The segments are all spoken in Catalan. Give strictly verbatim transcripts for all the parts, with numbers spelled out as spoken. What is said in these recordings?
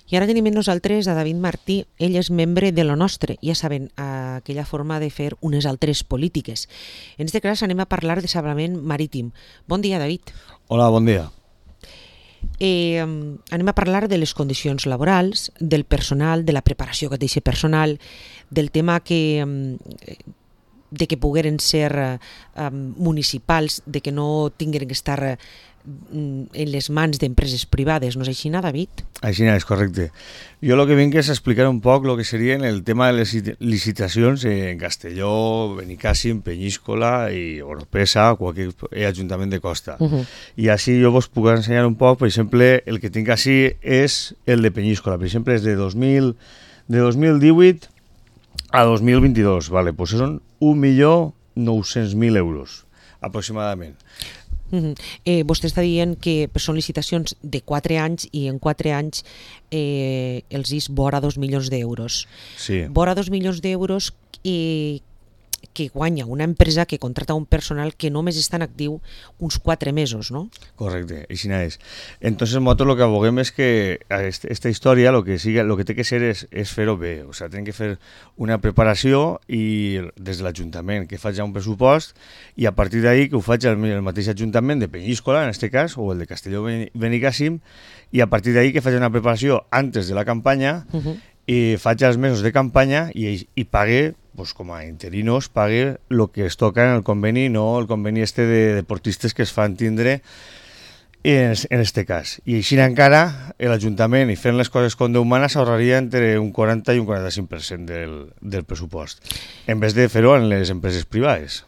I ara tenim amb nosaltres a David Martí. Ell és membre de Lo Nostre. Ja saben, aquella forma de fer unes altres polítiques. En aquest cas anem a parlar de salvament marítim. Bon dia, David. Hola, bon dia. Eh, anem a parlar de les condicions laborals, del personal, de la preparació que té aquest personal, del tema que... de que pogueren ser eh, municipals, de que no tingueren que estar eh, en les mans d'empreses privades, no és així, David? Així és, correcte. Jo el que vinc és explicar un poc el que serien el tema de les licitacions en Castelló, Benicàssim, Penyíscola i Oropesa, qualsevol ajuntament de costa. Uh -huh. I així jo vos puc ensenyar un poc, per exemple, el que tinc així és el de Penyíscola. Per exemple, és de dos mil divuit a dos mil vint-i-dos, vale, pues són un milió nou-cents mil euros, aproximadament. Uh -huh. eh, vostè està dient que són licitacions de quatre anys i en quatre anys eh, els is vora dos milions d'euros. Sí. Vora dos milions d'euros eh, que guanya una empresa que contrata un personal que només està en actiu uns quatre mesos, no? Correcte, així és. Entonces nosaltres el que aboguem és que aquesta història lo que, siga, lo que té que ser és, és fer-ho bé, o sigui, tenen que fer una preparació i des de l'Ajuntament que faci un pressupost i a partir d'ahí que ho faci el, el mateix Ajuntament de Penyíscola, en aquest cas, o el de Castelló Benicàssim, i a partir d'ahí que faci una preparació antes de la campanya uh -huh. i faci els mesos de campanya i, i pague, pues, com a interinos, pague el que es toca en el conveni, no el conveni este de deportistes que es fan tindre en, en este cas. I així encara l'Ajuntament, i fent les coses com Déu mana, s'ahorraria entre un quaranta i un quaranta-cinc per cent del, del pressupost, en vez de fer-ho en les empreses privades.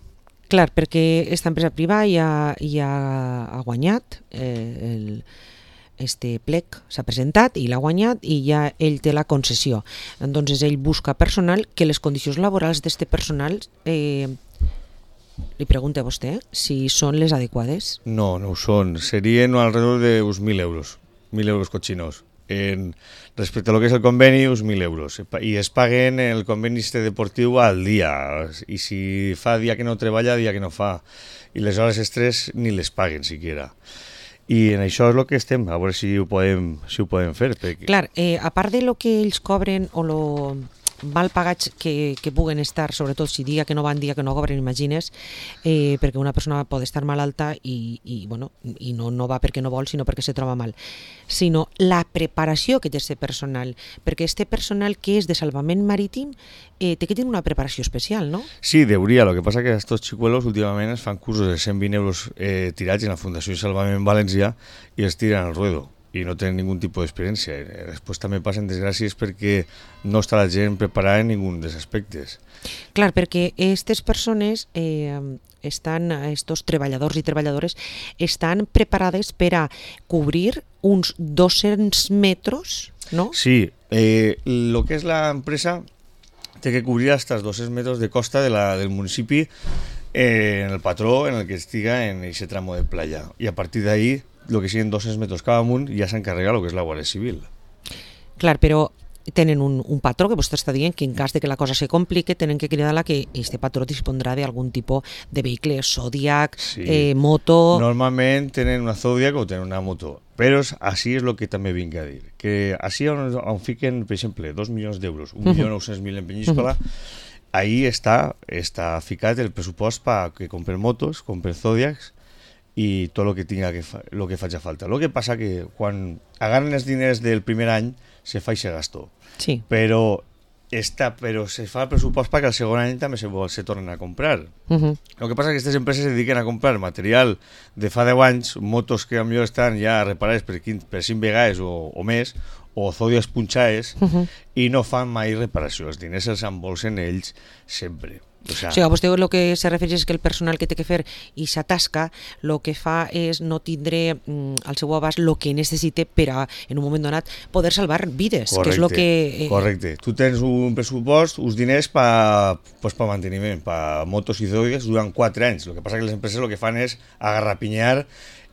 Clar, perquè aquesta empresa privada ja, ja ha guanyat eh, el... este plec s'ha presentat i l'ha guanyat i ja ell té la concessió. Entonces ell busca personal que les condicions laborals d'este personal eh, li pregunta a vostè si són les adequades. No, no ho són. Serien alrededor de uns mil euros, mil euros cochinos. En, respecte a lo que és el conveni, uns mil euros. I es paguen el conveni este deportiu al dia. I si fa dia que no treballa, dia que no fa. I les hores extres ni les paguen siquiera. I en això és el que estem, a veure si ho podem, si ho podem fer. Perquè... Clar, eh, a part de lo que ells cobren o lo mal pagats que, que puguen estar, sobretot si dia que no van, dia que no cobren, imagines, eh, perquè una persona pot estar malalta i, i, bueno, i no, no va perquè no vol, sinó perquè se troba mal, sinó la preparació que té aquest personal, perquè este personal que és de salvament marítim eh, té que tenir una preparació especial, no? Sí, deuria, lo que passa que estos xicuelos últimament es fan cursos de cent vint euros eh, tirats en la Fundació Salvament València i es tiren al ruedo i no tenen ningun tipus d'experiència. Després també passen desgràcies perquè no està la gent preparada en ningun dels aspectes. Clar, perquè aquestes persones, eh, estan, estos treballadors i treballadores, estan preparades per a cobrir uns dos-cents metres, no? Sí, eh, lo que és l'empresa té que cobrir hasta els dos-cents metres de costa de la, del municipi eh, en el patró en el que estiga en aquest tramo de playa. I a partir d'ahí el que siguin dos-cents metres cada amunt ja s'encarrega el que és la Guàrdia Civil. Clar, però tenen un, un patró que vostè està dient que en cas de que la cosa se complique tenen que cridar-la que este patró dispondrà d'algun tipus de vehicle, Zodiac, sí. eh, moto... Normalment tenen una Zodiac o tenen una moto, però així és el que també vinc a dir, que així on, on fiquen, per exemple, dos milions d'euros, un milió nou-cents mil en Penyíscola, ahí està, està ficat el pressupost perquè compren motos, compren Zodiacs, i tot el que tinga que fa, lo que faci falta. El que passa que quan agarren els diners del primer any se fa i se gastó. Sí. Però, està, però se fa el pressupost perquè el segon any també se, se tornen a comprar. Uh -huh. El que passa que aquestes empreses se dediquen a comprar material de fa deu anys, motos que potser estan ja reparades per, per cinc vegades o, o més, o zodiacs punxades, uh -huh. i no fan mai reparació. Els diners els embolsen ells sempre. O sea, o sigui, vostè el que se refereix és que el personal que té que fer i s'atasca, el que fa és no tindre mm, al seu abast el que necessita per a, en un moment donat, poder salvar vides. Correcte, que és lo que, eh... correcte. Tu tens un pressupost, uns diners per pues, pa manteniment, per motos i zodiacs durant quatre anys. El que passa que les empreses el que fan és agarrapinyar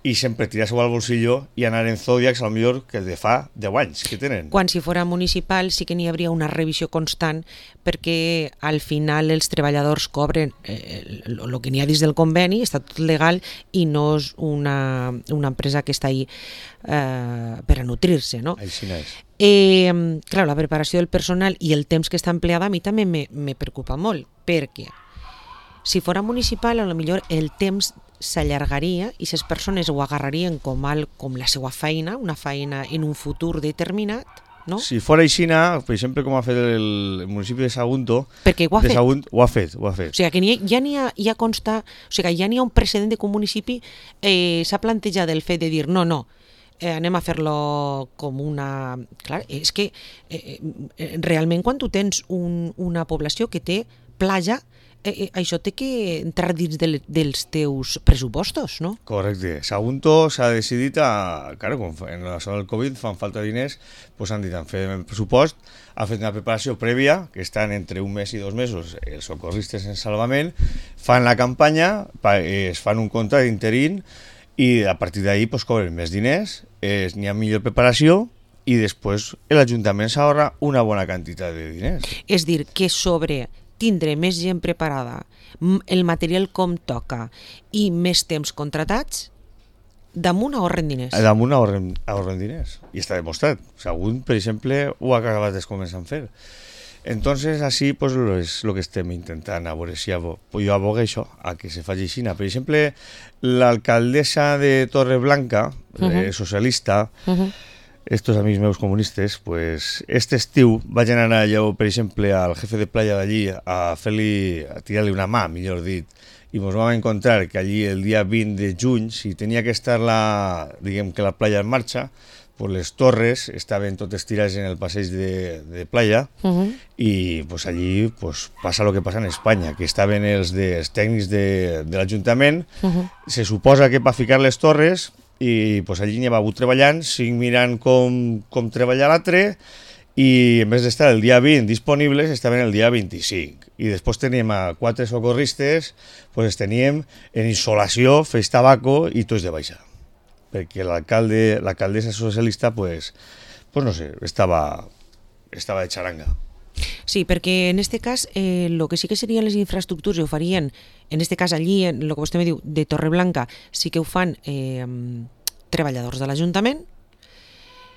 i sempre tirar-se al bolsillo i anar en zodiacs, al millor que de fa deu anys que tenen. Quan si fora municipal sí que n'hi hauria una revisió constant perquè al final els treballadors cobren eh, el que n'hi ha dins del conveni, està tot legal i no és una, una empresa que està ahí eh, per a nutrir-se, no? Així no és. Eh, clar, la preparació del personal i el temps que està empleada a mi també me, me preocupa molt, perquè si fora municipal, a lo millor el temps s'allargaria i les persones ho agarrarien com, al, com la seva feina, una feina en un futur determinat, no? Si fora aixina, per exemple, com ha fet el municipi de Sagunto, perquè ho ha de fet. Sagunt, ho ha fet, ho ha fet. O sigui, que ha, ja n'hi ha, ja consta, o sigui, ja n'hi ha un precedent de que un municipi eh, s'ha plantejat el fet de dir no, no, eh, anem a fer-lo com una... Clar, és que eh, realment quan tu tens un, una població que té platja, Eh, això té que entrar dins de, dels teus pressupostos, no? Correcte. Sagunto s'ha decidit a... Claro, com en la zona del Covid fan falta diners, doncs han dit, han fet el pressupost, han fet una preparació prèvia, que estan entre un mes i dos mesos els socorristes en salvament, fan la campanya, es fan un contracte d'interín i a partir d'ahí pues, cobren més diners, n'hi ha millor preparació i després l'Ajuntament s'ahorra una bona quantitat de diners. És dir, que sobre tindre més gent preparada, el material com toca i més temps contratats, damunt ahorren diners. Damunt ahorren, ahorren diners. I està demostrat. Sagunt, per exemple, ho ha acabat de començar a fer. Entonces, así, pues, es lo que estem intentant, a veure si abo, jo abogueixo a que se faci així. Per exemple, l'alcaldessa de Torreblanca, uh-huh. eh, socialista, uh-huh. estos amics meus comunistes, pues, este estiu vaig anar allà, per exemple, al jefe de playa d'allí a fer-li, a tirar-li una mà, millor dit, i ens vam encontrar que allí el dia vint de juny, si tenia que estar la, diguem que la playa en marxa, pues les torres estaven totes tirades en el passeig de, de playa uh-huh. i pues allí pues, passa el que passa en Espanya, que estaven els, de, els tècnics de, de l'Ajuntament, uh-huh. se suposa que per ficar les torres i pues, allí n'hi ha hagut treballant, cinc mirant com, com treballar l'altre i en vez d'estar el dia vint disponibles estaven el dia vint-i-cinc i després teníem a quatre socorristes, pues teníem en insolació, fes tabaco i tots de baixa perquè l'alcalde, l'alcaldessa socialista pues, pues no sé, estava, estava de xaranga. Sí, perquè en este cas eh, lo que sí que serien les infraestructures ho farien, en este cas allí, en lo que vostè me diu, de Torreblanca, sí que ho fan eh, treballadors de l'Ajuntament.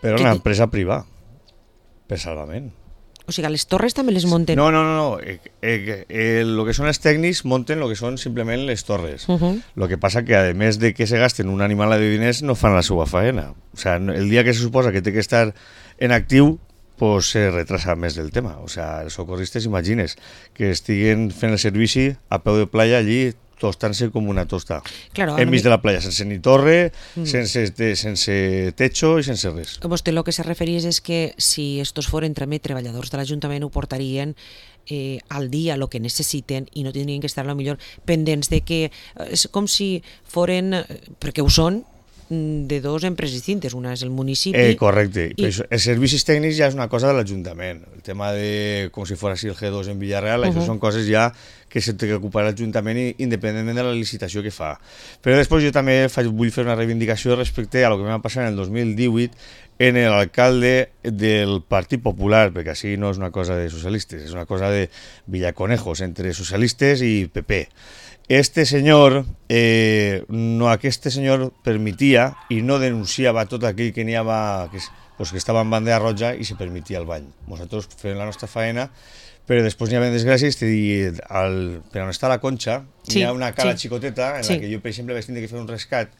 Però una empresa privada, per salvament. O sigui, les torres també les munten? No, no, no, no. Eh, eh, eh, lo que són els tècnics munten lo que són simplement les torres. Uh-huh. Lo que passa que, a més de que se gasten una animala de diners, no fan la seva faena. O sea, el dia que se suposa que té que estar en actiu, pues se retrasa més del tema. O sea, els socorristes, imagines, que estiguen fent el servici a peu de playa allí, tostant-se com una tosta. Claro, enmig de la playa, sense ni torre, mm. sense, de, sense techo i sense res. Vostè el que se referís és que si estos foren també treballadors de l'Ajuntament ho portarien eh, al dia el que necessiten i no tindrien que estar a lo millor pendents de que és com si foren, perquè ho són, de dos empreses distintes, una és el municipi... Eh, correcte, i... Això, els servicis tècnics ja és una cosa de l'Ajuntament, el tema de com si fos així el G dos en Villarreal, uh-huh. això són coses ja que se té que ocupar l'Ajuntament independentment de la licitació que fa. Però després jo també faig, vull fer una reivindicació respecte a lo que va passar en el dos mil divuit en l'alcalde del Partit Popular, perquè així no és una cosa de socialistes, és una cosa de Villaconejos, entre socialistes i P P. Este senyor, eh, no, aquest senyor permitia i no denunciava tot aquell que n'hi havia, que, pues, que estava en bandera roja i se permitia el bany. Nosaltres fem la nostra faena, però després n'hi havia desgràcies i al, per on està la Conxa sí, hi ha una cala sí. xicoteta en sí. la que jo, per exemple, vaig tenir que fer un rescat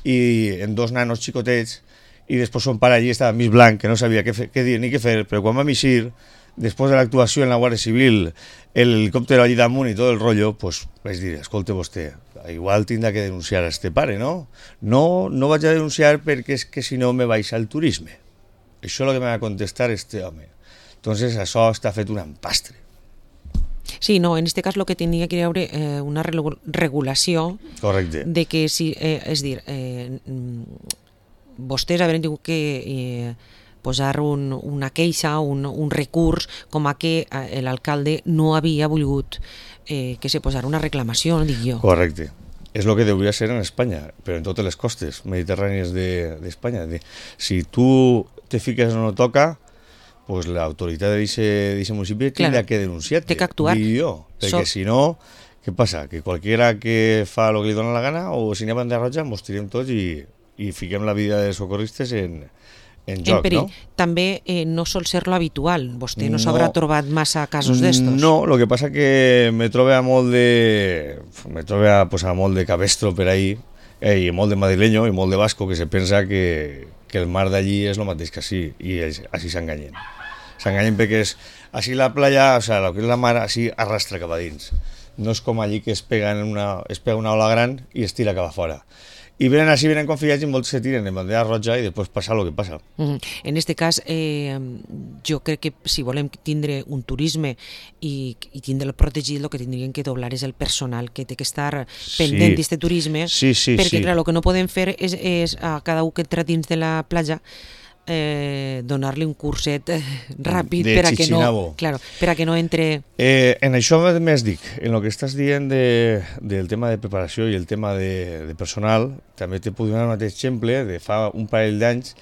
i en dos nanos xicotets i després son pare allí estava mig blanc, que no sabia què, fer, què dir ni què fer, però quan vam eixir, després de l'actuació en la Guàrdia Civil, el helicòptero allí damunt i tot el rotllo, pues vaig dir, escolta vostè, igual tindrà que denunciar a este pare, no? No, no vaig a denunciar perquè és que si no me baixa el turisme. Això és el que me va contestar este home. Entonces això està fet un empastre. Sí, no, en este cas el que tenia que haver eh, una regulació correcte. De que si, eh, és dir, eh, vostès haurien tingut que eh, posar un, una queixa, un, un recurs, com a que eh, l'alcalde no havia volgut eh, que se posara una reclamació, dic jo. Correcte. és el que hauria ser en Espanya, però en totes les costes mediterrànies d'Espanya. De, de, si tu te fiques on no toca, pues l'autoritat d'aquest municipi tindrà que denunciar-te. Té que actuar. Jo, perquè so... si no, què passa? Que qualquiera que fa el que li dona la gana, o si n'hi ha bandera roja, mos tirem tots i, i fiquem la vida dels socorristes en, en joc, en no? També eh, no sol ser lo habitual. Vostè no s'haurà no, trobat massa casos d'estos. No, el que passa que me trobo a molt de... me trobo a, pues, a molt de cabestro per ahí, eh, i molt de madrileño i molt de vasco que se pensa que, que el mar d'allí és el mateix que així, i així s'enganyen. S'enganyen perquè és... Així la playa, o sea, el que és la mar, així arrastra cap a dins. No és com allí que es pega, en una, es pega una ola gran i es tira cap a fora. I venen així, venen confiats i molts se tiren en bandera roja i després passa el que passa. Mm-hmm. En este cas, eh, jo crec que si volem tindre un turisme i, i tindre-lo protegit, el que tindrien que doblar és el personal que té que estar pendent d'aquest sí. turisme, sí, sí, perquè sí. clar, el que no podem fer és, és a cada un que entra dins de la platja Eh, donar-li un curset eh, ràpid de per a, que no, claro, per a que no entre... Eh, en això més dic, en el que estàs dient de, del tema de preparació i el tema de, de personal, també te puc donar un mateix exemple de fa un parell d'anys,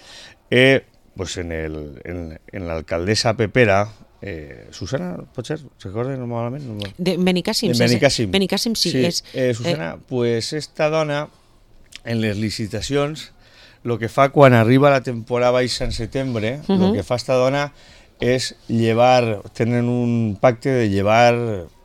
eh, pues en, el, en, en l'alcaldessa Pepera, eh, Susana, pot ser? Recorda normalment? No? De Benicàssim. De Benicàssim. Benicàssim, sí. sí és, eh, Susana, eh... pues esta dona, en les licitacions, el que fa quan arriba la temporada baixa en setembre, el uh-huh. que fa esta dona és llevar, tenen un pacte de llevar,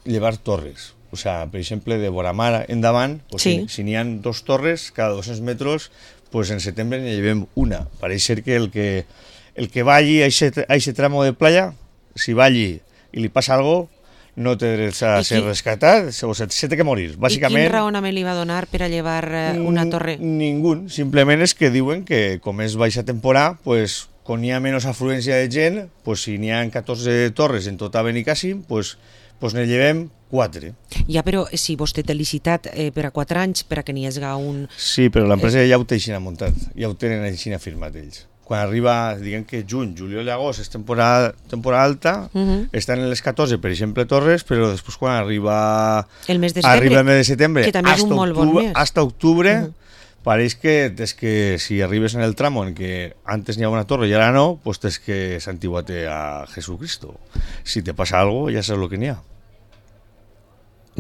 llevar torres. O sea, per exemple, de Boramar endavant, pues sí. si, si n'hi ha dos torres, cada dos-cents metres, pues en setembre n'hi llevem una. Pareix ser que el que, el que va allí a aquest tramo de playa, si va allí i li passa alguna cosa, no té dret a ser rescatat, o se, se té que morir, bàsicament. I quin raonament li va donar per a llevar una torre? Ningú, simplement és que diuen que com és baixa temporada, pues, quan hi ha menys afluència de gent, pues, si n'hi ha catorze torres en tota Benicàssim, pues, pues ne llevem quatre. Ja, però si vostè té licitat eh, per a quatre anys, per a que n'hi hagi un... Sí, però l'empresa ja ho té així muntat, ja ho tenen així firmat ells. Quan arriba, diguem que juny, juliol i agost és temporada, temporada alta, uh-huh. estan en les catorze, per exemple, torres, però després quan arriba el mes de setembre, arriba el mes de setembre que també és un molt bon mes. Hasta octubre, uh-huh. pareix que des que si arribes en el tramo en que antes n'hi ha una torre i ara no, pues tens que santiguar-te a Jesucristo. Si te passa algo, ja saps el que n'hi ha.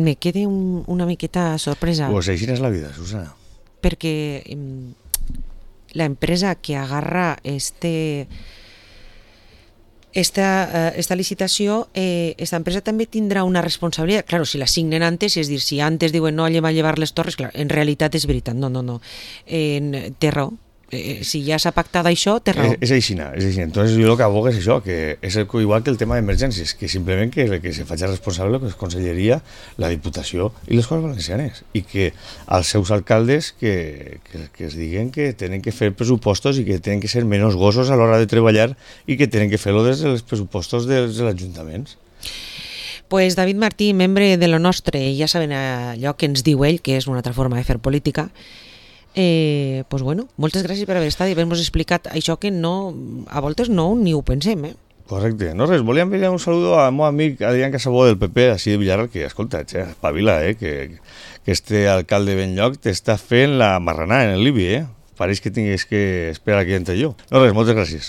Me quede un, una miqueta sorpresa. Pues així és la vida, Susana. Perquè... Eh, la empresa que agarra este, esta, uh, esta licitació, eh, esta empresa també tindrà una responsabilitat. Claro, si la signen antes, és dir, si antes diuen no, anem a llevar les torres, clar, en realitat és veritat, no, no, no. Eh, té raó. Eh, si ja s'ha pactat això, té raó. És, és aixina, és aixina. Entonces jo el que abogo és això, que és el, igual que el tema d'emergències, que simplement que, que se faci responsable la Conselleria, la Diputació i les Corts Valencianes, i que els seus alcaldes que, que, que es diguen que tenen que fer pressupostos i que tenen que ser menys gossos a l'hora de treballar i que tenen que fer-lo des dels pressupostos dels ajuntaments. Pues David Martí, membre de lo nostre, ja saben allò que ens diu ell, que és una altra forma de fer política. Eh, pues bueno, moltes gràcies per haver estat i haver-nos explicat això que no, a voltes no ni ho pensem, eh? Correcte. No res, volia enviar un saludo a meu amic Adrián Casabó del P P, així de Villarreal, que escolta, eh, espavila, eh, que, que este alcalde Benlloc t'està fent la marranada en el Libi, eh? Pareix que tingués que esperar que entre jo. No res, moltes gràcies.